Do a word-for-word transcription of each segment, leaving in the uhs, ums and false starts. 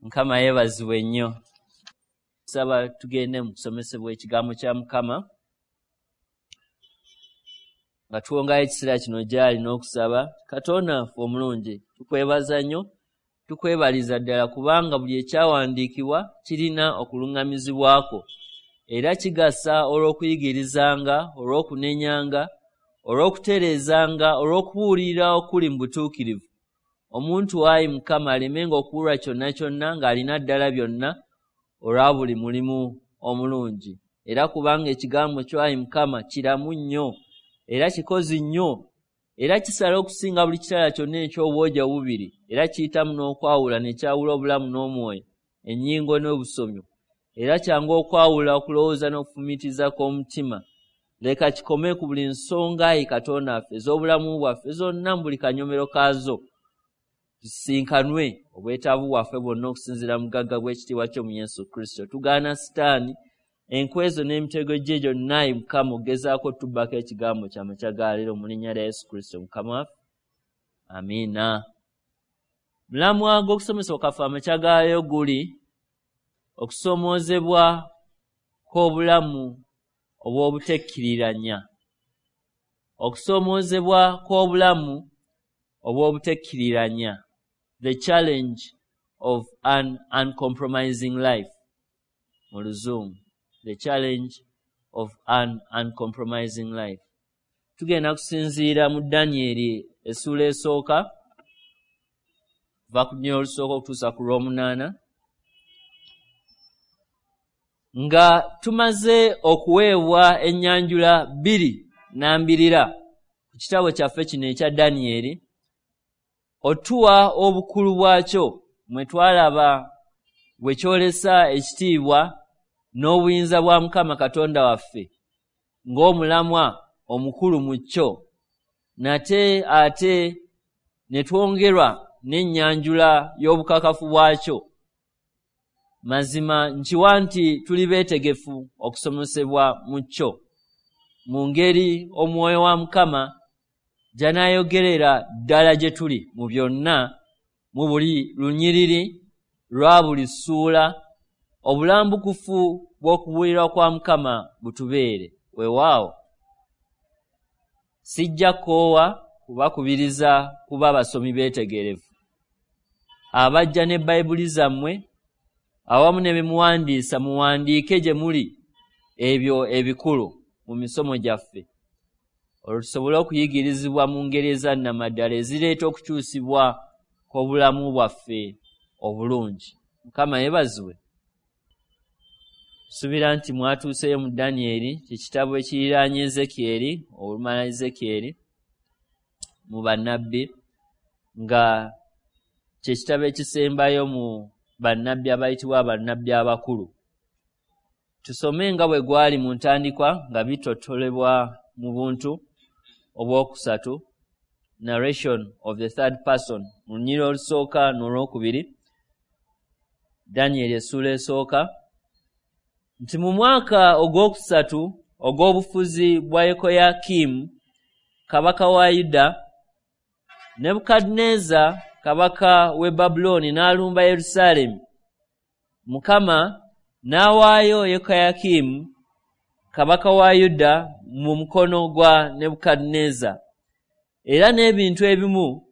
Mukama yeebazibwe nnyo. Nsaba tugende mu kusomesebwa ekigambo kya Mukama nga tuwongayo ekiseera kino gy'ali n'okusaba. Katonda waffe omulungi, tukwebaza nnyo, tukwebaliza ddala kubanga buli ekyawandiikibwa kirina okuluŋŋamizibwako era kigasa olw'okuyigirizanga, olw'okunenyanga, olw'okutereezanga, olw'okubuulirira okuli mu butuukirivu. Omuntu ayi Mukama alemenga okuwulwa kyonna kyonna ng'alina ddala byonna olwa buli mulimu omulungi. Era kubanga ekigambo kyo ayi Mukama kiramu nnyo era kikozi nnyo era kisala okusinga buli kitala kyonna eky'obwogi obubiri, era kiyitamu n'okwawula ne kyawula obulamu n'omwoyo, ennyingo n'obusomyo, era kyangu okwawula okulowooza n'okufumiitiriza kw'omutima. Leka kikome ku buli nsonga ayi Katonda waffe ez'obulamu bwaffe zonna mu buli kanyomero kaazo, tusinkanwe obwetaavu bwaffe bwonna okusinziira mu bugagga bw'ekitiibwa kyo mu Yesu Kristo. Tugaana Sitaani, enkwezo n'emitego gye gyonna ayi Mukama okugezaako otubbako ekigambo kya makya ga leero mu linnya lya Yesu Kristo Mukama waffe. Amiina. Mulamwa gw'okusomesa kwaffe amakya ga leero guli okusoomoozebwa kw'obulamu obw'obutekkiriranya. Okusoomoozebwa kw'obulamu obw'obutekkiriranya. The challenge of an uncompromising life. Mu Luzungu. The challenge of an uncompromising life. Tugenda kusinziira mu Danyeri essuula esooka, kuva ku lunyiriri olusooka okutuusa ku lw'omunaana, nga tumaze okuweebwa ennyanjula bbiri nnambirira ku kitabo kyaffe kino ekya Danyeri, otuwa obukulu bwakyo mwe twalaba bwe kyolesa ekitiibwa n'obuyinza bwa Mukama Katonda waffe ng'omulamwa omukulu mu kyo, nate ate ne twongerwa n'ennyanjula y'obukakafu bwakyo. Mazima nkiwa nti tuli beetegefu okusomesebwa mu kyo mu ngeri omwoyo wa Mukama gy'anaayogerera ddala gye tuli mu byonna, mu buli lunyiriri lwa buli ssuula, obulambukufu bw'okubuulirwa kwa Mukama butubeere. Weewaawo, sijja kukoowa kubakubiriza kuba basomi beetegerevu abajja ne Bayibuli zammwe awamu ne bimuwandiisa, muwandiike gye muli ebyo ebikulu mu misomo gyaffe, olwo tusobole okuyigirizibwa mu ngeri ezannamaddala ezireeta okukyusibwa kw'obulamu bwaffe obulungi. Mukama yeebazibwe. Nsuubira nti mwatuuseeyo mu Danyeri, kye kitabo ekiriraanye Ezekyeri, olumala Ezekyeri mu bannabbi, nga kye kitabo ekisembayo mu bannabbi abayitibwa bannabbi abakulu. Tusome nga bwe gwali mu ntandikwa nga bitottolebwa mu buntu obwokusatu, narration of the third person, mu lunyiriri olusooka n'olwokubiri, Danyeri essuula esooka, nti mu mwaka ogwokusatu ogw'obufuzi bwa Yekoyakimu kabaka wa Yuda, Nebukadduneeza kabaka w'e Babulooni n'alumba Yerusaalemi. Mukama n'awaayo Yekoyakimu kabaka wa Yuda mu mukono gwa Nebukadduneeza, era n'ebintu ebimu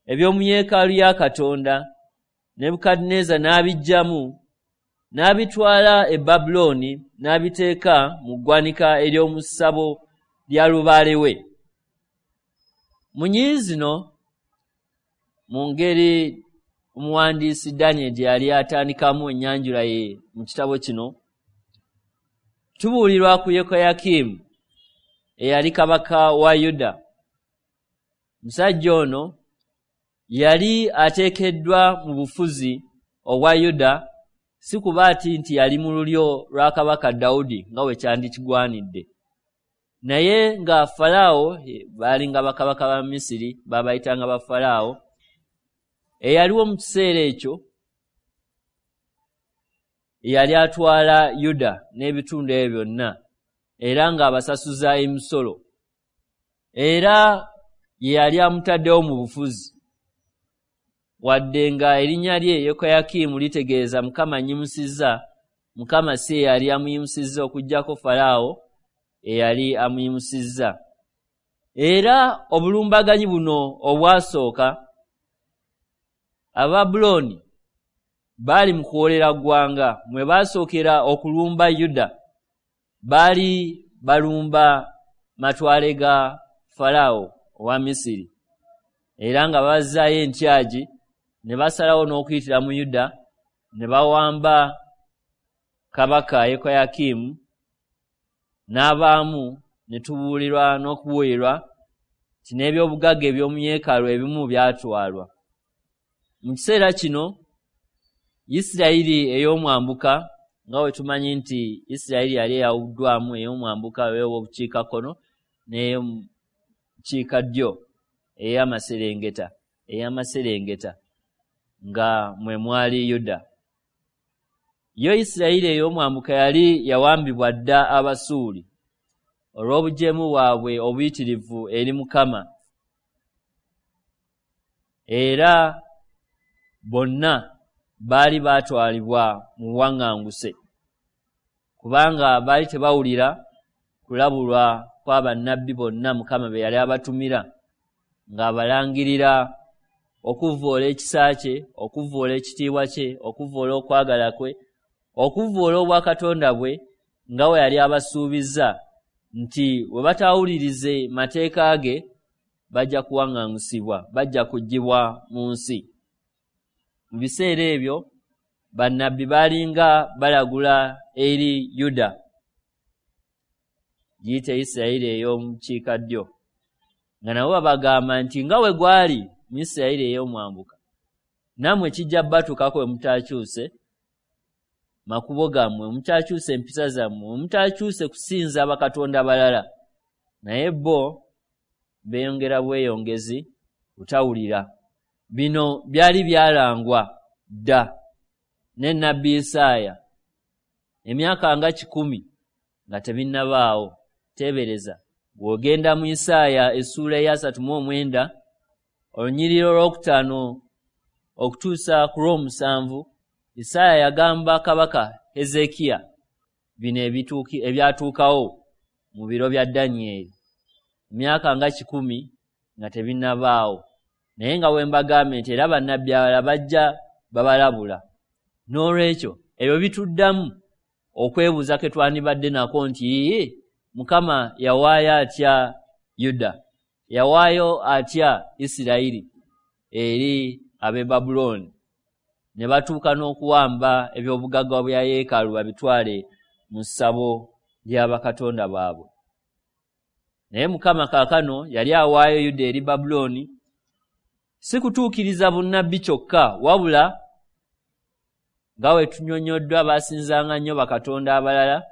eby'omu yeekaalu ya Katonda Nebukadduneeza n'abiggyamu n'abitwala e Babulooni n'abiteeka mu ggwanika ery'omu ssabo lya lubaale we. Mu nnyiriri zino, mu ngeri omuwandiisi Danyeri gye yali atandikamu ennyanjula ye mu kitabo kino, tubuulirwa ku Yekoyakimu eyali kabaka wa Yuda. Musajja ono yali ateekeddwa mu bufuzi obwa Yuda, si kuba ati nti yali mu lulyo lwa kabaka Dawudi nga bwe kyandikigwanidde, naye nga Falaawo, baalinga bakabaka ba Misiri, baabayitanga ba Falaawo, eyaliwo mu kiseera ekyo yali atwala Yuda n'ebitundu ebyo byonna, era ng'abasasuza emisolo, era ye yali amutaddewo mu bufuzi. Wadde nga erinnya lye Yekoyakimu litegeeza Mukama annyimusizza, Mukama si ye yali amuyimusizza okuggyako Falaawo eyali amuyimusizza. Era obulumbaganyi buno obwasooka, Ababulooni baali mu kuwolera ggwanga mwe baasookera okulumba Yuda. Baali balumba matwale ga Falaawo owa Misiri, era nga bazzaayo entyagi ne basalawo n'okuyitira mu Yuda ne bawamba kabaka Yekoyakimu n'abaamu, ne tubuulirwa n'okubuulirwa nti n'ebyobugagga eby'omu yeekaalu ebimu byatwalwa. Mu kiseera kino Isirayiri ey'omwambuka, nga bwe tumanyi nti Isirayiri yali eyawuddwamu ey'omwambuka ey'obukiikakkono n'ey'obukiikaddyo ey'amaserengeta ey'amaserengeta nga mwe mwali Yuda. Yo Isirayiri ey'omwambuka yali yawambibwa dda Abasuuli olw'obujeemu bwabwe obuyitirivu eri Mukama, era bonna baali baatwalibwa mu buwaŋŋanguse, kubanga baali tebawulira kulabulwa kwa bannabbi bonna Mukama be yali abatumira, ng'abalangirira okuvvoola ekisa kye, okuvvoola ekitiibwa kye, okuvvoola okwagala kwe, okuvvoola obwakatonda bwe, nga bwe yali abasuubizza nti bwe bataawulirize mateeka ge bajja kuwaŋŋangusibwa, bajja kuggyibwa mu nsi. Mu biseera ebyo bannabbi baalinga balagula eri Yuda, giyite Isirayiri ey'omukiikaddyo, nga nabo babagamba nti nga bwe gwali mu Isirayiri ey'omwambuka, nammwe kijja batuukako bwe mutaakyuse makubo gammwe, mutakyuse empisa zammwe, mutakyuse kusinza bakatonda balala. Naye bo beeyongera bweyongezi kutawulira. Bino byali byalangwa dda ne nnabbi Isaaya emyaka nga kikumi nga tebinnabaawo. Teebereza bw'ogenda mu Isaaya essuula ey'asatu mu omwenda olunyiriri olwokutaano okutuusa ku lw'omusanvu, Isaaya yagamba kabaka Hezekiya bino ebyatuukawo mu biro bya Danyeri emyaka nga kikumi nga tebinnabaawo. Naye nga bwe mbagambye nti era bannabbi abalala bajja babalabula. N'olwekyo ebyo bituddamu okwebuuza ke twandibadde nako nti Mukama yawaayo atya Yuda, yawaayo atya Isirayiri eri ab'e Babulooni, ne batuuka n'okuwamba ebyobugagga bya yeekaalu babitwale mu ssabo lya bakatonda baabwe. Naye Mukama kaakano yali awaayo Yuda eri Babulooni si kutuukiriza bunnabbi kyokka, wabula nga bwe tunnyonnyoddwa baasinzanga nnyo bakatonda abalala,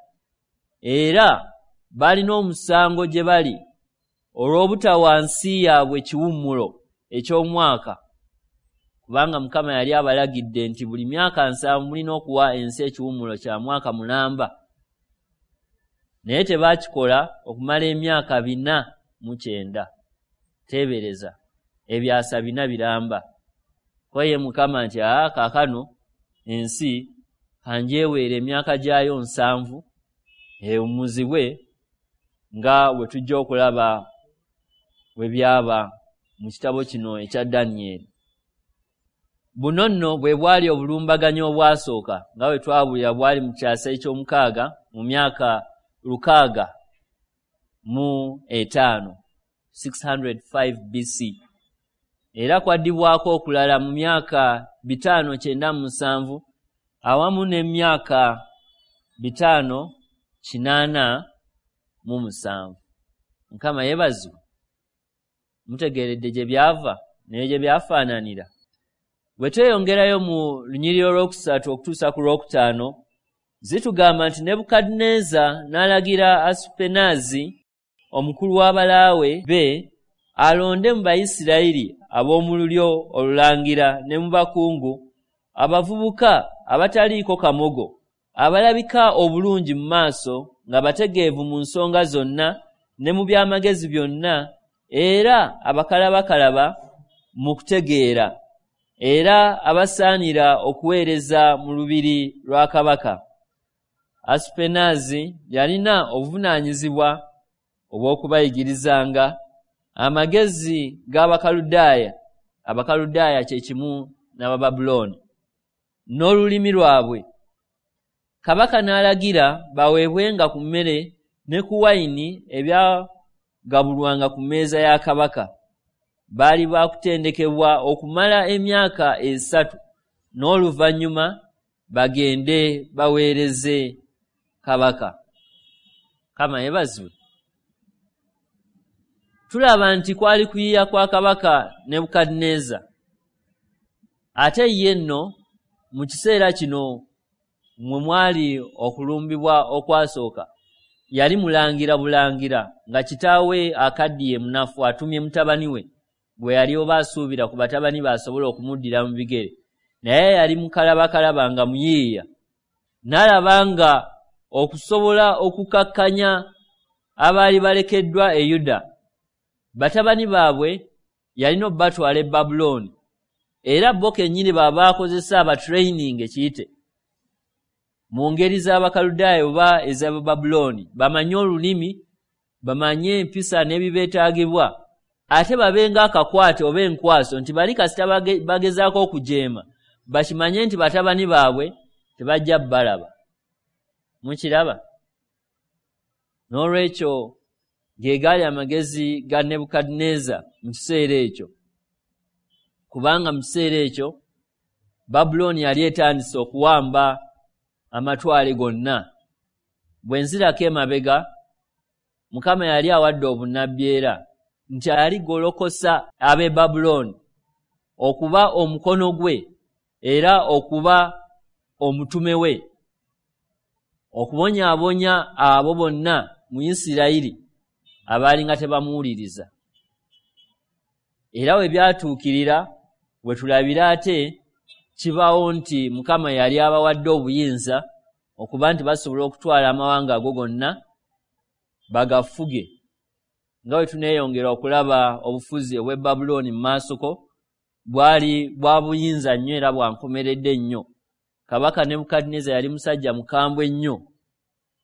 era baalina omusango gye bali olw'obutawa nsi yaabwe kiwummulo eky'omwaka, kubanga Mukama yali abalagidde nti buli myaka nsanvu mulina okuwa ensi ekiwummulo kya mwaka mulamba. Naye tebaakikola okumala emyaka bina mu kyenda. Teebereza ebyasa bina biramba. Ko ye Mukama nti aa kaakano ensi kanjeweere emyaka gyayo nsanvu ewummuzibwe, nga bwe tujja okulaba bwe byaba mu kitabo kino ekya Danyeri. Buno nno bwe bwali obulumbaganyi obwasooka, nga bwe twabulira bwali mu kyasa eky'omukaaga mu myaka lukaaga mu etaano six hundred five B C. Era kwaddibwako okulala mu myaka bitaano kyenda mu musanvu awamu n'emyaka bitaano kinaana mu musanvu. Mukama yeebazibwe. Mutegeeredde gye byava naye gye byafaananira. Bwe tweyongerayo mu lunyiriri olwokusatu okutuusa ku lwokutaano, zitugamba nti Nebukadduneeza n'alagira Asupenaazi omukulu w'abalaawe be alonde mu Bayisirayiri ab'omu lulyo olulangira ne mu bakungu abavubuka abataliiko kamogo, abalabika obulungi mu maaso, nga bategeevu mu nsonga zonna ne mu by'amagezi byonna, era abakalabakalaba mu kutegeera era abasaanira okuweereza mu lubiri lwa kabaka. Asupenaazi yalina obuvunaanyizibwa obw'okubayigirizanga amagezi g'Abakaludaaya, Abakaludaaya kye kimu n'Abababulooni, n'olulimi lwabwe. Kabaka n'alagira baweebwenga ku mmere ne ku wayini ebyagabulwanga ku mmeeza ya kabaka. Baali baakutendekebwa okumala emyaka esatu, n'oluvannyuma bagende baweereze kabaka. Mukama yeebazibwe. Tulaba nti kwali kuyiiya kwa kabaka Nebukadduneeza. Ate ye nno mu kiseera kino mwe mwali okulumbibwa okwasooka, yali mulangira bulangira nga kitaawe akaddiye munafu atumye mutabani we gwe yali oba asuubira ku batabani be asobole okumuddira mu bigere, naye yali mukalabakalaba nga muyiiya. N'alaba nga okusobola okukakkanya abaali balekeddwa e Yuda, batabani baabwe yalina obbatwala e Babulooni, era bo kennyini baabakozesa abatraining ekiyite mu ngeri z'Abakaludaaya oba ez'Abababulooni, bamanye olulimi, bamanye empisa n'ebibeetaagibwa, ate babe ng'akakwate oba enkwaso nti bali kasita bagezaako okujeema bakimanye nti batabani baabwe tebajja balaba. Mukiraba? N'olwekyo ge gaali amagezi ga Nebukadduneeza mu kiseera ekyo, kubanga mu kiseera ekyo Babulooni yali etandise okuwamba amatwale gonna. Bwe nzirako emabega, Mukama yali awadde obunnabbi era nti aligolokosa ab'e Babulooni okuba omukono gwe era okuba omutume we, okubonyaabonya abo bonna mu Isirayiri abaali nga tebamuwuliriza. Era we byatuukirira we tulabira ate kibaawo nti Mukama yali abawadde obuyinza okuba nti basobola okutwala amawanga ago gonna bagafuge. Nga bwe tuneeyongera okulaba obufuzi obw'e Babulooni mu maasoko, bwali bwa buyinza nnyo era bwankomeredde nnyo. Kabaka Nebukadduneeza yali musajja mukambwe nnyo,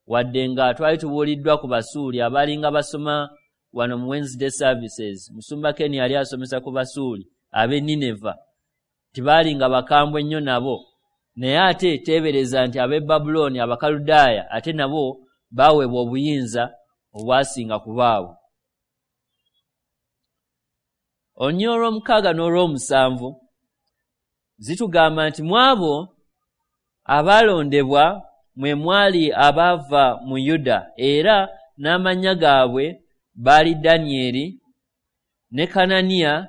wadde nga twali tubuuliddwa ku Basuuli abaalinga basoma wano mu Wednesday services. Musumba Ken yali asomesa ku Basuuli ab'e Nineva, tibaalinga bakambwe nnyo nabo, naye ate teebereza nti ab'e Babulooni Abakaludaaya ate nabo baaweebwa obuyinza obwasinga ku baabwe. Olunyiriri olw'omukaaga n'olw'omusanvu zitugamba nti mu abo abaalondebwa mwe mwali abaava mu Yuda, era n'amannya gaabwe baali Danyeri ne Kananiya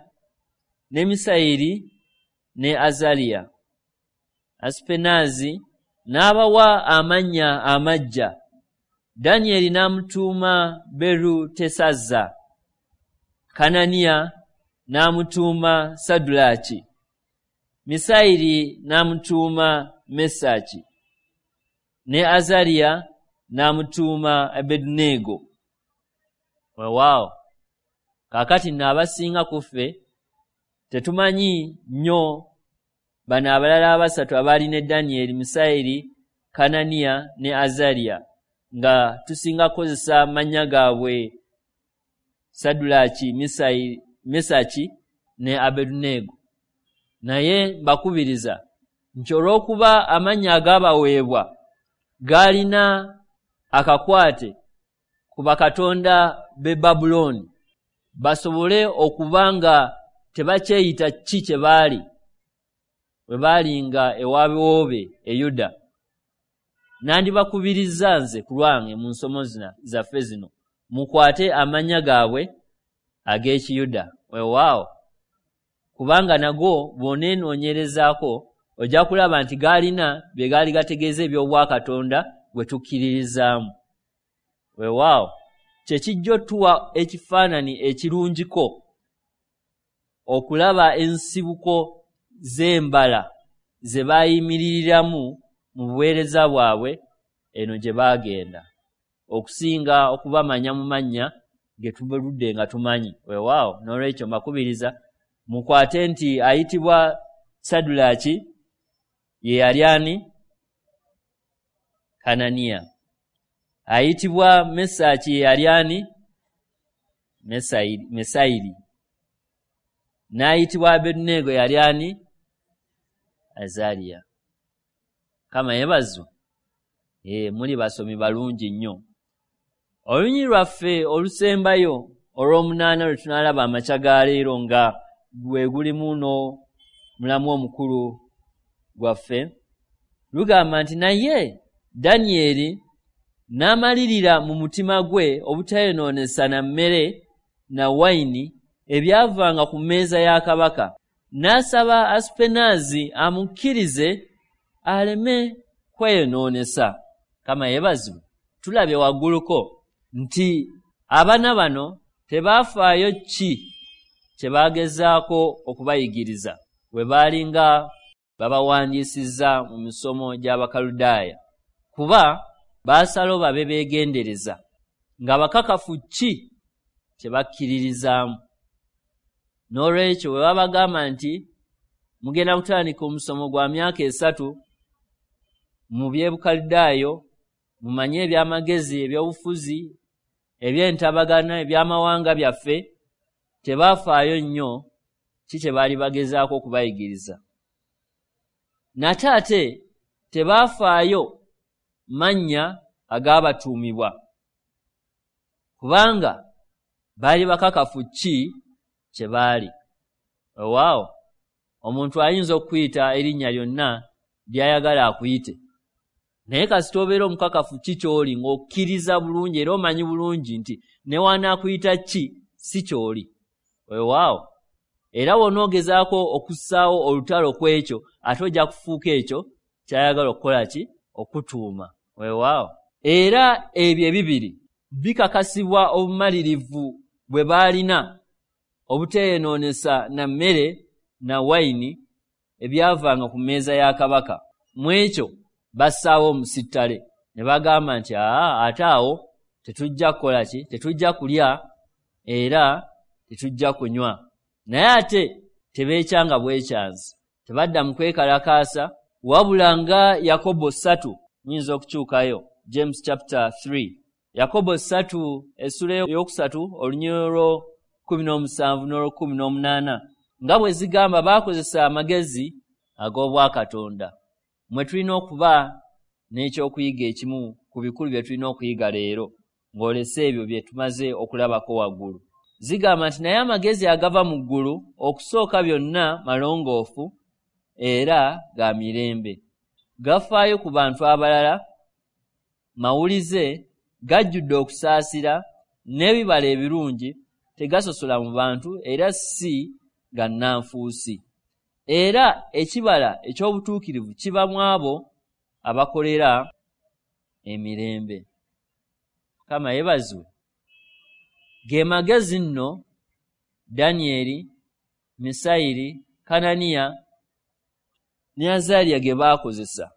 ne Misayiri ne Azaliya. Asupenaazi n'abawa amannya amaggya. Danyeri n'amutuuma Berutesazza, Kananiya n'amutuuma Sadulaaki, Misayiri n'amutuuma Mesaki, ne Azaliya n'amutuuma Abeduneego. Weewaawo, kaakati nno abasinga ku ffe tetumanyi nnyo bano abalala abasatu abaali ne Danyeri, Misayiri, Kananiya ne Azaliya, nga tusinga kukozesa mannya gaabwe Sadulaaki, Mesaki ne Abeduneego. Naye mbakubiriza nti olw'okuba amannya agaabaweebwa gaalina akakwate ku bakatonda b'e Babulooni, basobole okuba nga tebakyeyita ki kye baali bwe baalinga ewabiwoobe e Yuda. Nandibakubiriza nze ku lwange mu nsomo zaffe zino mukwate amannya gaabwe ag'Ekiyuda. Weewaawo, kubanga nago bw'oneenoonyerezaako ojja kulaba nti gaalina bye gaali gategeeza eby'obwakatonda bwe tukkiririzaamu. Weewaawo, kye kijja otuwa ekifaananyi ekirungiko okulaba ensibuko z'embala ze baayimiririramu mu buweereza bwabwe eno gye baagenda, okusinga okubamanya mu mannya ge tubuludde nga tumanyi. Weewaawo, n'olwekyo mbakubiriza mukwate nti ayitibwa Sadulaaki ye yali ani? Kananiya. Ayitibwa Mesaki ye yali ani? Mesayiri. N'ayitibwa Abeduneego yali ani? Azaliya. Kama yeebazibwe. Ee, muli basomi balungi nnyo. Olunyiriri lwaffe olusembayo olw'omunaana lwe tunaalaba amakya ga leero nga gwe gulimu n'omulamu omukulu gwaffe, lugamba nti naye Danyeri n'amalirira mu mutima gwe obutayonoonesa na mmere na wayini ebyavanga ku mmeeza ya kabaka, n'asaba Asupenaazi amukkirize aleme kweyonoonesa. Kama yeebazibwe. Tulabye wagguluko nti abaana bano tebaafaayo ki kye baagezaako okubayigiriza bwe baalinga babawandiisizza mu misomo gy'Abakaludaaya, kuba baasalawo babe beegendereza nga bakakafu ki kye bakkiririzaamu. N'olwekyo bwe babagamba nti mugenda kutandika omusomo gwa myaka esatu mu by'Ebukaludaayo, mumanye ebyamagezi, ebyobufuzi, ebyentabagana, ebyamawanga byaffe, tebaafaayo nnyo ki kye baali bagezaako okubayigiriza. Nate ate tebaafaayo mannya agaabatuumibwa, kubanga baali bakakafu ki kye baali. Weewaawo, omuntu ayinza okukuyita erinnya lyonna ly'ayagala akuyite, naye kasita obeera omukakafu ki ky'oli, ng'okkiriza bulungi era omanyi bulungi nti ne w'anaakuyita ki si ky'oli. Weewaawo, era bw'onoogezaako okussaawo olutalo ku ekyo, ate ojja kufuuka ekyo ky'ayagala okukola ki? Okutuuma. Weewaawo, era ebyo ebibiri bikakasibwa obumalirivu bwe baalina obuteeyonoonesa na mmere na wayini ebyavanga ku mmeeza ya kabaka. Mu ekyo bassaawo omusittale ne bagamba nti aa, ate awo tetujja kukola ki? Tetujja kulya era tetujja kunywa. Naye ate tebeekyanga bwekyanzi, tebadda mu kwekalakaasa, wabula nga Yakobo ssatu, muyinza okukyukayo, James chapter three, Yakobo ssatu essula ey'okusatu olunyiriri lw'okkumi n'omusanvu n'olw'okkumi n'omunaana, nga bwe zigamba baakozesa amagezi ag'obwakatonda. Mwe tulina okuba n'ekyokuyiga ekimu ku bikulu bye tulina okuyiga leero, ng'olese ebyo bye tumaze okulabako waggulu. Zigamba nti naye amagezi agava mu ggulu okusooka byonna malongoofu era ga mirembe, gafaayo ku bantu abalala, mawulize, gajjudde okusaasira n'ebibala ebirungi, tegasosola mu bantu era si ga nnanfuusi. Era ekibala eky'obutuukirivu kiva mu abo abakolera emirembe. Mukama yeebazibwe. Ge magezi nno Danyeri, Misayiri, Kananiya ne Azaliya ge baakozesa.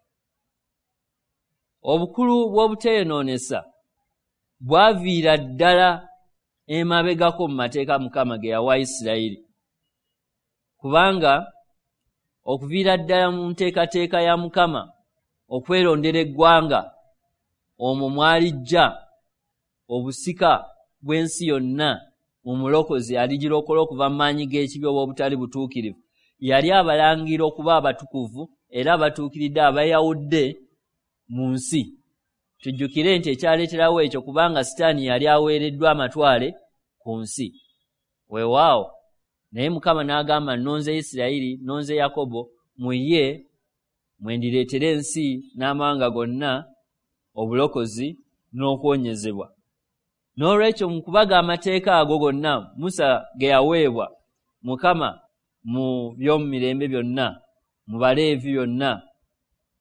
Obukulu bw'obuteeyonoonesa bwaviira ddala emabegako mu mateeka Mukama ge yawa Isirayiri, kubanga okuviira ddala mu nteekateeka ya Mukama okwerondera eggwanga omwo mwalijja obusika bw'ensi yonna mu mulokozi aligirokola okuva mu maanyi g'ekibi oba obutali butuukirivu. Yali abalangira okuba abatukuvu era abatuukiridde abayawudde mu nsi. Tujjukire nti ekyaleeterawo ekyo kubanga Sitaani yali aweereddwa amatwale ku nsi. Weewaawo, naye Mukama n'agamba nnonze Isirayiri, nnonze Yakobo, mu ye mwe ndireetera ensi n'amawanga gonna obulokozi n'okuwonyezebwa. N'olwekyo mu kubaga amateeka ago gonna Musa ge yaweebwa Mukama mu by'omumirembe byonna, mu Baleevi byonna,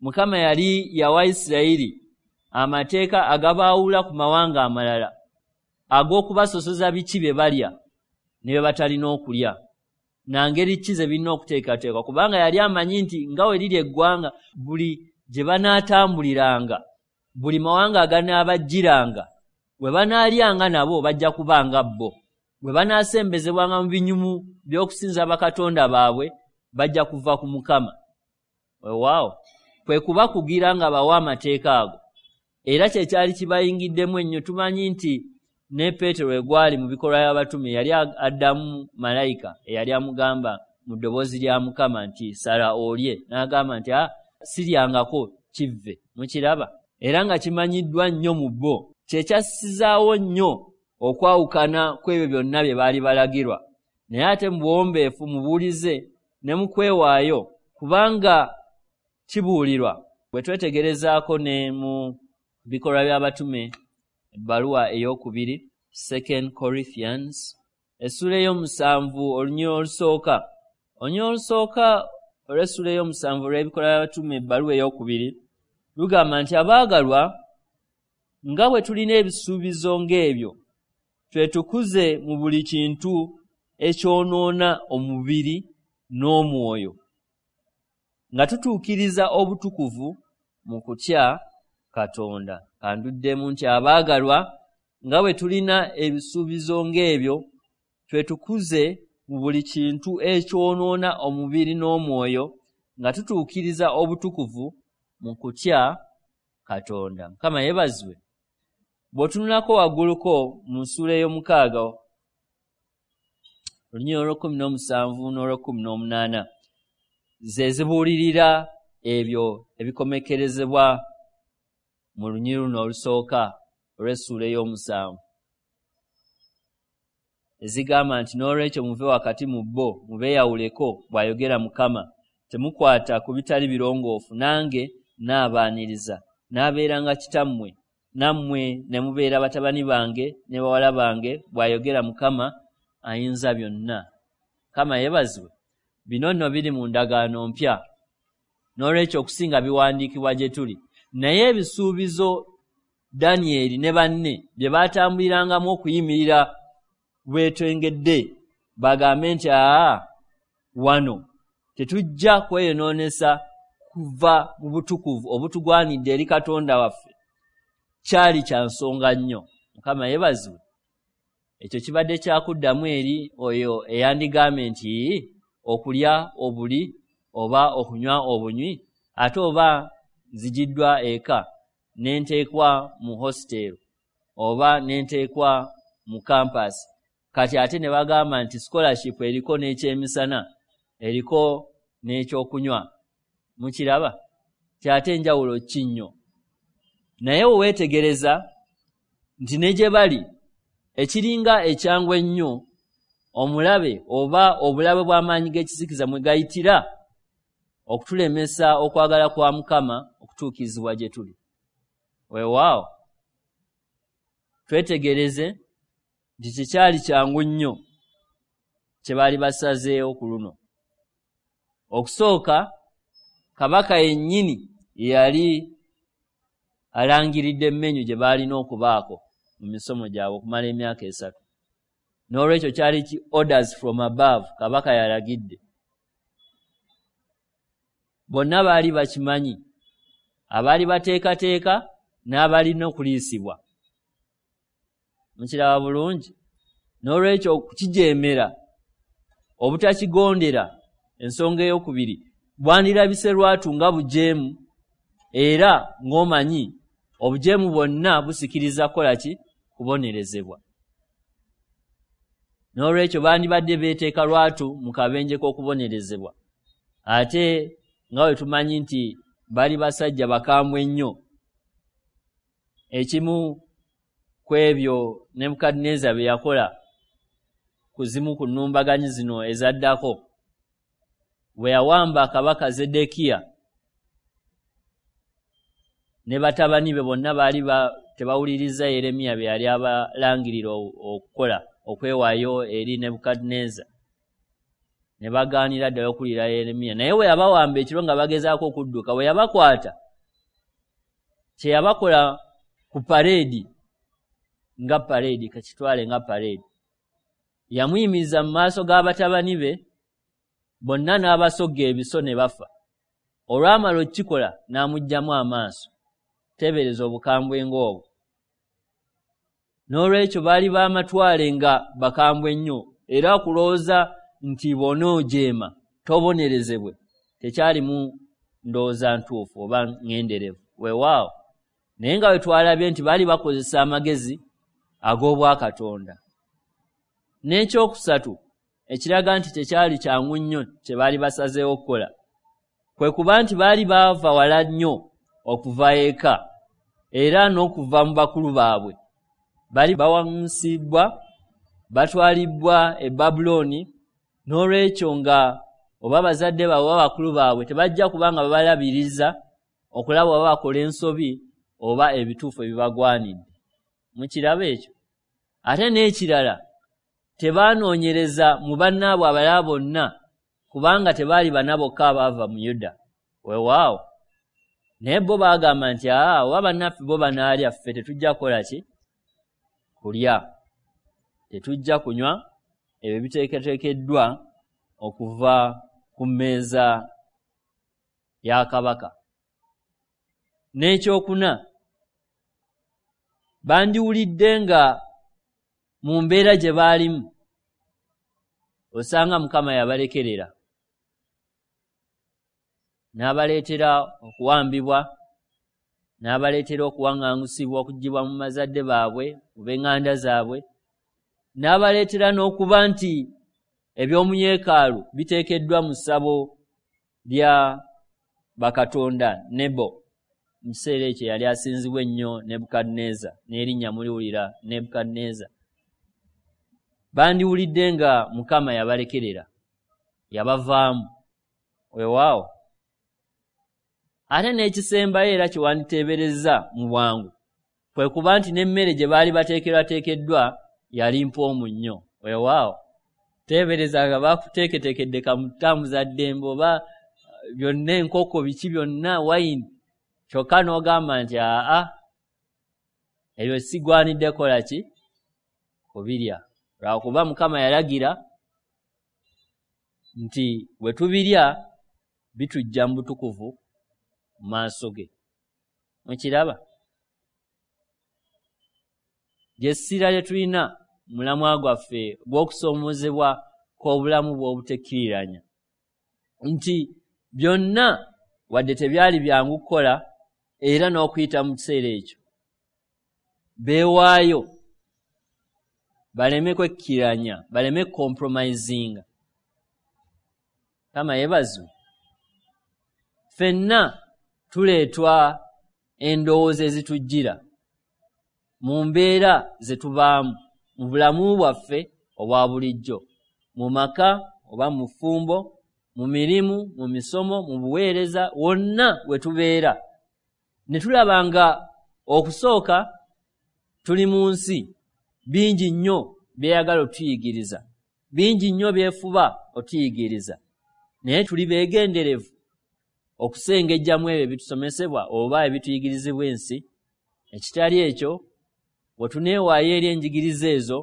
Mukama yali yawa Isirayiri amateeka agabaawula ku mawanga amalala ag'okubasosoza biki bye balya ne bye batalina okulya, na ngeri ki ze birina okuteekateekwa, kubanga yali amanyi nti nga we liri eggwanga buli gye banaatambuliranga, buli mawanga aganaabajjiranga, bwe banaalyanga nabo bajja kubanga bo, bwe banaasembezebwanga mu binyumu by'okusinza bakatonda baabwe bajja kuva ku Mukama. Weewaawo kwe kubakugira nga bawa amateeka ago, era kye kyali kibayingiddemu ennyo. Tumanyi nti ne Peetero egwali mu bikolwa by'abatume yali addamu malayika eyali amugamba mu ddoboozi lya Mukama nti sala olye, n'agamba nti a siryangako kivve. Mukiraba? Era nga kimanyiddwa nnyo mu bo, kye kyassizaawo nnyo okwawukana kw'ebyo byonna bye baali balagirwa. Naye ate mu buwombeefu mubuulize ne mu kwewaayo, kubanga kibuulirwa. Bwe twetegerezaako ne mu bikolwa by'abatume ebbaluwa ey'okubiri, Second Corinthians, essuula ey'omusanvu olunyiriri olusooka. Olunyiriri olusooka olw'essuula ey'omusanvu olw'ebikolwa by'abatume ebbaluwa ey'okubiri lugamba nti abaagalwa, nga bwe tulina ebisuubizo ng'ebyo, twetukuze mu buli kintu ekyonoona omubiri n'omwoyo, nga tutuukiriza obutukuvu mu kutya Katonda. Kanduddemu nti abaagalwa, nga bwe tulina ebisuubizo ng'ebyo, twetukuze mu buli kintu ekyonoona omubiri n'omwoyo, nga tutuukiriza obutukuvu mu kutya Katonda. Mukama yeebazibwe. Bw'otunulako wagguluko mu ssuula ey'omukaaga olunyiriri olw'ekkumi n'omusanvu n'olw'ekkumi n'omunaana, ze zibuulirira ebyo ebikomekkerezebwa mu lunyiriri luno olusooka olw'essuula ey'omusanvu, ezigamba nti n'olwekyo muve wakati mu bo, mubeeyawuleko, bw'ayogera Mukama, temukwata ku bitali birongoofu, nange naabaaniriza, naabeeranga kitammwe, nammwe ne mubeera batabani bange ne bawala bange, bw'ayogera Mukama ayinza byonna. Mukama yeebazibwe. Bino nno biri mu ndagaano mpya, n'olwekyo okusinga biwandiikibwa gye tuli. Naye ebisuubizo Danyeri ne banne bye baatambulirangamu okuyimirira bwetwengedde, bagambe nti aa wano tetujja kweyonoonesa kuva mu butukuvu obutugwanidde eri Katonda waffe, kyali kya nsonga nnyo. Mukama yeebazibwe. Ekyo kibadde kyakuddamu eri oyo eyandigambye nti okulya obuli oba okunywa obunywi, ate oba nzigiddwa eka ne nteekwa mu hostel oba ne nteekwa mu campus, kati ate ne bagamba nti scholarship eriko n'ekyemisana, eriko n'ekyokunywa. Mukiraba? Kyate enjawulo ki nnyo. Naye weetegereza nti ne gye bali ekiringa ekyangu ennyo omulabe oba obulabe bw'amaanyi g'ekizikiza mwe gayitira okutulemesa okwagala kwa Mukama okutuukirizibwa gye tuli. Weewaawo twetegereze nti kikyali kyangu nnyo kye baali basazeewo ku luno. Okusooka kabaka yennyini yali alangiridde emmenyu gye baalina okubaako mu misomo gyabwe okumala emyaka esatu. N'olwekyo kyali ki orders from above, kabaka yalagidde. Bonna baali bakimanyi, abaali bateekateeka n'abalina okuliisibwa. Mukiraba bulungi? N'olwekyo okukijeemera, obutakigondera, ensonga ey'okubiri, bwandirabise lwatu nga bujeemu, era ng'omanyi obujeemu bwonna busikiriza kukola ki? Kubonerezebwa. N'olwekyo bandibadde beeteeka lwatu mu kabenje k'okubonerezebwa. Ate nga bwe tumanyi nti bali basajja bakambwe nnyo, ekimu ku ebyo Nebukadduneeza bye yakola ku zimu ku nnumbaganyi zino ezaddako, bwe yawamba kabaka Zeddekiya ne batabani be bonna baali tebawuliriza Yeremiya bye yali abalangirira okukola, okwewaayo eri Nebukadduneeza, ne bagaanira ddala okuwulira Yeremiya. Naye bwe yabawamba ekiro nga bagezaako okudduka, bwe yabakwata, kye yabakola ku pareedi, nga pareedi, kakitwale nga pareedi, yamuyimiriza mu maaso g'abatabani be bonna n'abasogga ebiso ne bafa. Olwamala okukikola n'amuggyamu amaaso. Teebereza obukambwe ng'obwo. N'olwekyo baali b'amatwale nga bakambwe nnyo, era okulowooza nti bw'onoojeema tobonerezebwe tekyalimu ndowooza ntuufu oba ŋŋenderevu. Weewaawo, naye nga bwe twalabye nti baali bakozesa amagezi ag'obwakatonda. N'ekyokusatu ekiraga nti tekyali kyangu nnyo kye baali basazeewo okukola, kwe kuba nti baali baava wala nnyo okuva eka era n'okuva mu bakulu baabwe. Baali bawaŋŋusibbwa, batwalibbwa e Babulooni, n'olwekyo nga oba bazadde baabwe oba bakulu baabwe tebajja kuba nga babalabiriza okulaba oba bakola ensobi oba ebituufu ebibagwanidde. Mukiraba ekyo? Ate n'ekirala, tebaanoonyereza mu bannaabwe abalala bonna, kubanga tebaali bana bokka abaava mu Yuda. Weewaawo, naye bo baagamba nti aa, oba bannaffe bo banaalya, ffe tetujja kukola ki? Kulya, tetujja kunywa ebyo biteeketeekeddwa okuva ku mmeeza ya kabaka. N'ekyokuna, bandiwulidde nga mu mbeera gye baalimu osanga Mukama yabalekerera n'abaleetera okuwambibwa, n'abaleetera okuwaŋŋangusibwa okuggyibwa mu bazadde baabwe, mu b'eŋŋanda zaabwe, n'abaleetera n'okuba nti eby'omu yeekaalu biteekeddwa mu ssabo lya bakatonda Nebo. Mu kiseera ekyo yali asinzibwa ennyo Nebukadduneeza, n'erinnya muliwulira Nebukadduneeza. Bandiwulidde nga Mukama yabalekerera, yabavaamu. Weewaawo, ate n'ekisembayo era kye wanditeeberezza mu bwangu kwe kuba nti n'emmere gye baali bateekerwateekeddwa yali mpoomu nnyo. Weewaawo, teebereza nga bakuteeketeekedde kamutambuza ddembe oba byonna, enkoko, biki byonna, wayini, kyokka n'ogamba nti aa, ebyo sigwanidde kola ki? Kubirya. Lwakuba Mukama yalagira nti bwe tubirya bitujja mu butukuvu mu maaso ge. Mukiraba? Ly'essira lye tulina mu mulamwa gwaffe gw'okusoomoozebwa kw'obulamu bw'obutekkiriranya, nti byonna wadde tebyali byangu kukola era n'okuyita mu kiseera ekyo beewaayo baleme kwekkiriranya, baleme compromisinga. Mukama yeebazibwe. Ffenna tuleetwa endowooza ezitujjira mu mbeera ze tubaamu mu bulamu bwaffe obwa bulijjo, mu maka oba mu ffumbo, mu mirimu, mu misomo, mu buweereza, wonna we tubeera. Ne tulaba nga okusooka tuli mu nsi, bingi nnyo byeyagala otuyigiriza, bingi nnyo byefuba otuyigiriza, naye tuli beegenderevu okusengejjamu ebyo ebitusomesebwa oba ebituyigirizibwa ensi. Ekitali ekyo, bwe tuneewaayo eri enjigiriza ezo,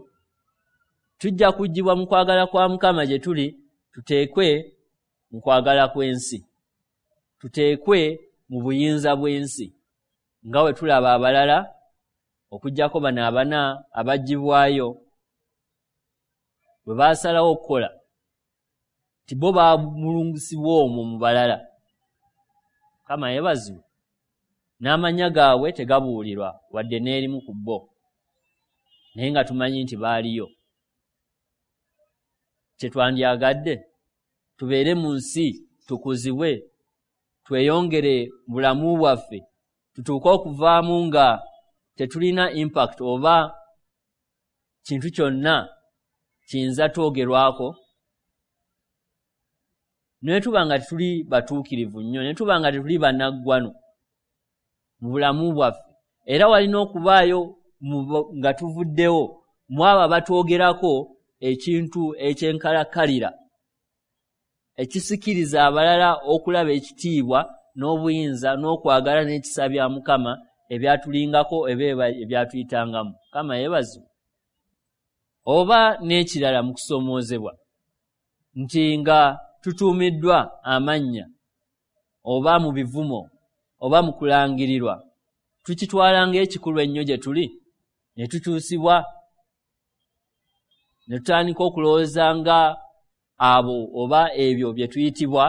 tujja kuggyibwa mu kwagala kwa Mukama gye tuli, tuteekwe mu kwagala kw'ensi, tuteekwe mu buyinza bw'ensi, nga bwe tulaba abalala okuggyako bano abana abaggyibwayo bwe baasalawo okukola, nti bo baamulungusibwa omwo mu balala. Mukama yeebazibwe. N'amannya gaabwe tegabuulirwa wadde n'erimu ku bo, naye nga tumanyi nti baaliyo. Kye twandyagadde tubeere mu nsi, tukuzibwe, tweyongere mu bulamu bwaffe, tutuuke okuvaamu nga tetulina impact oba kintu kyonna kiyinza twogerwako, ne tuba nga tetuli batuukirivu nnyo, ne tuba nga tetuli bannaggwano mu bulamu bwaffe. Era walina okubaayo nga tuvuddewo mu abo abatwogerako ekintu ekyenkalakkalira ekisikiriza abalala okulaba ekitiibwa n'obuyinza n'okwagala n'ekisa bya Mukama ebyatulingako eba ebyatuyitangamu. Mukama yeebazibwe. Oba n'ekirala mu kusoomoozebwa nti nga tutuumiddwa amannya oba mu bivumo oba mu kulangirirwa, tukitwala ng'ekikulu ennyo gye tuli, ne tukyusibwa ne tutandika okulowooza nga abo oba ebyo bye tuyitibwa,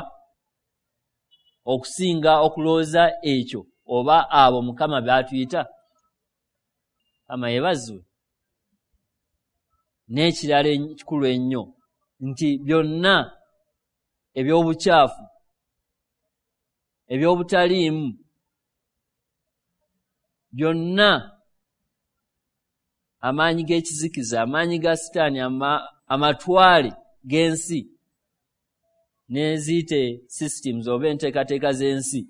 okusinga okulowooza ekyo oba abo Mukama by'atuyita. Mukama yeebazibwe. N'ekirala ekikulu ennyo nti byonna eby'obukyafu, eby'obutaliimu, byonna amaanyi g'ekizikiza, amaanyi ga Sitaani, amatwale g'ensi n'eziyite systems oba enteekateeka z'ensi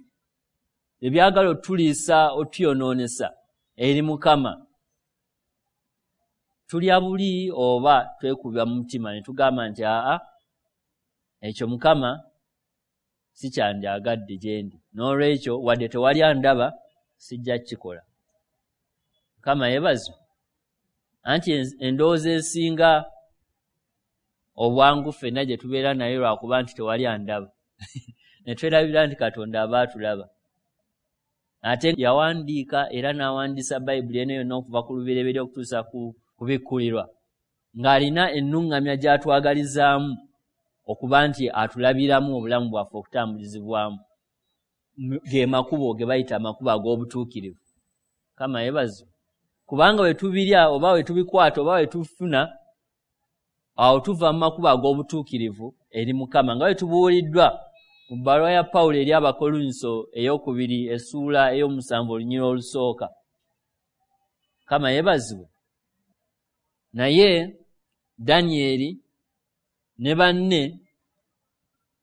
ebyagala otuliisa, otuyonoonesa eri Mukama, tulya buli oba twekubya mu mutima ne tugamba nti aa, ekyo Mukama si kyandyagadde gye ndi, n'olwekyo wadde tewali andaba sijja kukikola. Mukama yeebazibwe. Anti endowooza esinga obwangu ffenna gye tubeera nayo lwakuba nti tewali andaba, ne twerabira nti Katonda aba atulaba. Ate yawandiika era n'awandiisa Bayibuli eno yonna okuva ku lubereberye okutuusa ku kubikkulirwa, ng'alina ennuŋŋamya gy'atwagalizaamu okuba nti atulabiramu obulamu bwaffe okutambulizibwamu, ge makubo ge bayita amakubo ag'obutuukirivu. Mukama yeebazibwe. Kubanga bwe tubirya oba bwe tubikwata oba bwe tufuna, awo tuva mu makubo ag'obutuukirivu eri Mukama, nga bwe tubuuliddwa mu bbaluwa ya Pawulo eri Abakolinso ey'okubiri essuula ey'omusanvu olunyiriri olusooka. Mukama yeebazibwe. Naye Danyeri ne banne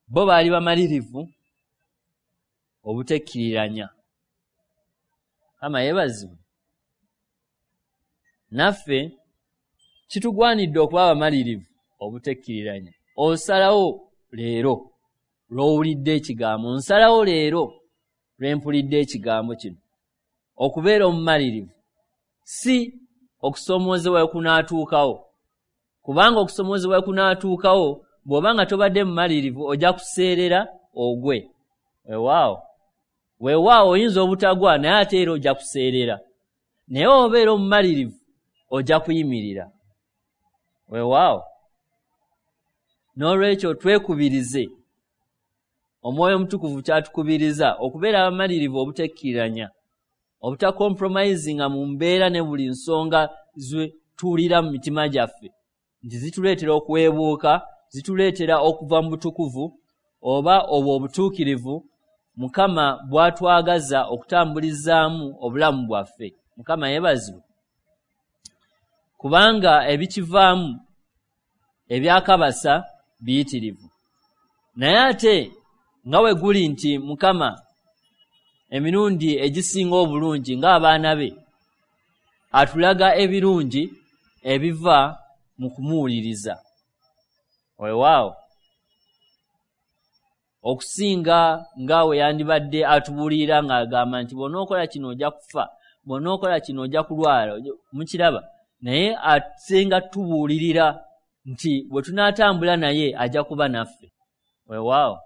bo baali bamalirivu obutekkiriranya. Mukama yeebazibwe. Naffe kitugwanidde okuba abamalirivu obutekkiriranya. Osalawo leero lw'owulidde ekigambo, nsalawo leero lwe mpulidde ekigambo kino okubeera omumalirivu, si okusoomoozebwa we kunaatuukawo, kubanga okusoomoozebwa we kunaatuukawo bw'oba nga tobadde mumalirivu ojja kuseerera ogwe. Weewaawo, weewaawo oyinza obutagwa, naye ate era ojja kuseerera. Naye obeera omumalirivu ojja kuyimirira. Weewaawo. N'olwekyo twekubirize, Omwoyo Omutukuvu kyatukubiriza okubeera abamalirivu obutekkiriranya, obutacompromisinga mu mbeera ne buli nsonga ze tuwulira mu mitima gyaffe nti zituleetera okuweebuuka, zituleetera okuva mu butukuvu oba obwo obutuukirivu Mukama bw'atwagaza okutambulizaamu obulamu bwaffe. Mukama yeebazibwe. Kubanga ebikivaamu ebyakabasa biyitirivu. Naye ate nga bwe guli nti Mukama emirundi egisinga obulungi ng'abaana be atulaga ebirungi ebiva mu kumuwuliriza. Weewaawo, okusinga nga we yandibadde atubuulirira ng'agamba nti bw'onookola kino ojja kufa, bw'onookola kino ojja kulwala, mukiraba. Naye asinga tubuulirira nti bwe tunaatambula naye ajja kuba naffe. Weewaawo,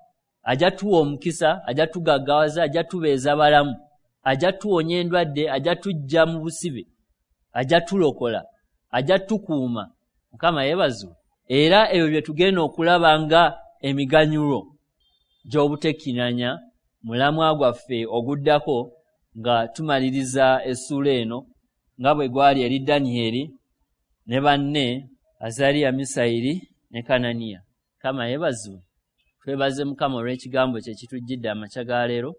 ajja tuwa omukisa, ajja tugaggawaza, ajja tubeeza balamu, ajja tuwonya endwadde, ajja tujja mu busibe, ajja tulokola, ajja tukuuma. Mukama yeebazibwe. Era ebyo bye tugenda okulaba nga emiganyulo gy'obutekkiriranya mulamwa gwaffe oguddako nga tumaliriza essuula eno, nga bwe gwali eri Danyeri ne banne Azariya, Misayiri ne Kananiya. Mukama yeebazibwe. Twebaze Mukama olw'ekigambo kye kitujjidde amakya ga leero,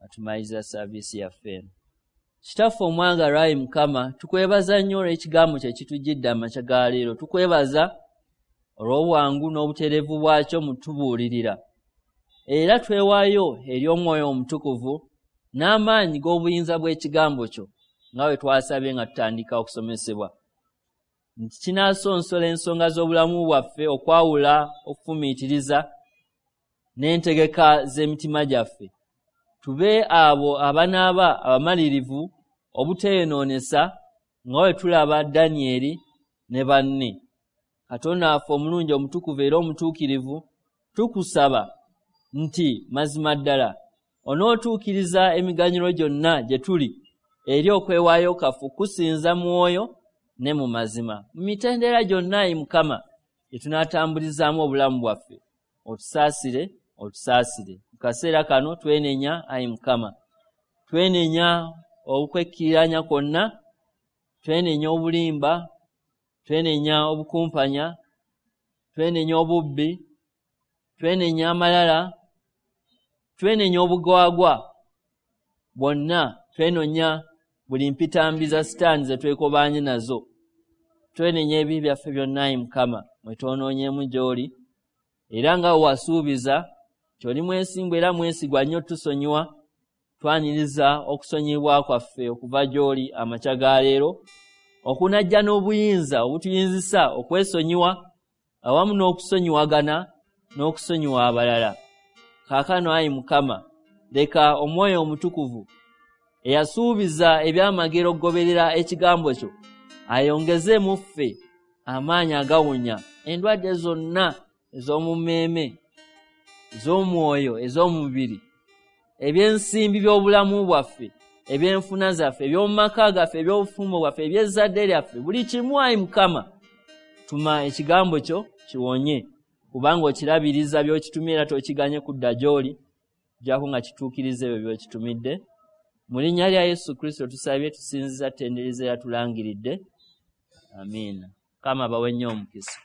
atumaliriza saaviisi yaffe eno. Kitaffe omwagalwa, ayi Mukama, tukwebaza nnyo olw'ekigambo kye kitujjidde amakya ga leero. Tukwebaza olw'obwangu n'obutereevu bwakyo mu tubuulirira. Era twewaayo eri Omwoyo Omutukuvu n'amaanyi g'obuyinza bw'ekigambo kyo, nga bwe twasabye nga tutandika okusomesebwa, nti kinaasonsola ensonga z'obulamu bwaffe okwawula okufumiitiriza n'entegeka z'emitima gyaffe, tube abo abanaaba abamalirivu obuteeyonoonesa nga bwe tulaba Danyeri ne banne. Katonda waffe omulungi, omutukuvu era omutuukirivu, tukusaba nti mazima ddala onootuukiriza emiganyulo gyonna gye tuli eri okwewaayo kwaffe kusinza mwoyo ne mu mazima. Mu mitendera gyonna, ayi Mukama, gye tunaatambulizaamu obulamu bwaffe. Otusaasire, otusaasire. Mu kaseera kano twenenya, ayi Mukama, twenenya okwekkiriranya kwonna, twenenya obulimba, twenenya obukumpanya, twenenya obubbi, twenenya amalala, twenenya obugwagwa bwonna, twenonya buli mpitambi za sitaani ze twekobaanye nazo. Twenenya ebibi byaffe byonna, ayi Mukama, mwe twonoonyeemu gy'oli, era nga wasuubiza nti oli mwesimbu era mwesigwa nnyo tusonyiwa. Twaniriza okusonyiyibwa kwaffe okuva gy'oli amakya ga leero, okunajja n'obuyinza obutuyinzisa okwesonyiwa awamu n'okusonyiwagana n'okusonyiwa abalala. Kaakano ayi Mukama, leka Omwoyo Omutukuvu eyasuubiza ebyamagero okugoberera ekigambo kyo ayongeze mu ffe amaanyi agawonya endwadde zonna ez'omu mmeeme, ez'omwoyo, ez'omubiri, ebyensimbi by'obulamu bwaffe, ebyenfuna zaffe, eby'omu maka gaffe, eby'obufumbo bwaffe, eby'ezzadde lyaffe, buli kimu. Ayi Mukama, tuma ekigambo kyo kiwonye, kubanga okirabiriza by'okitumye era tokiganye kudda gy'oli jjako nga kituukiriza ebyo by'okitumidde. Mu linnya lya Yesu Kristo tusabye, tusinziza, tutendereza era tulangiridde. Amiina. Mukama abawe nnyo omukisa.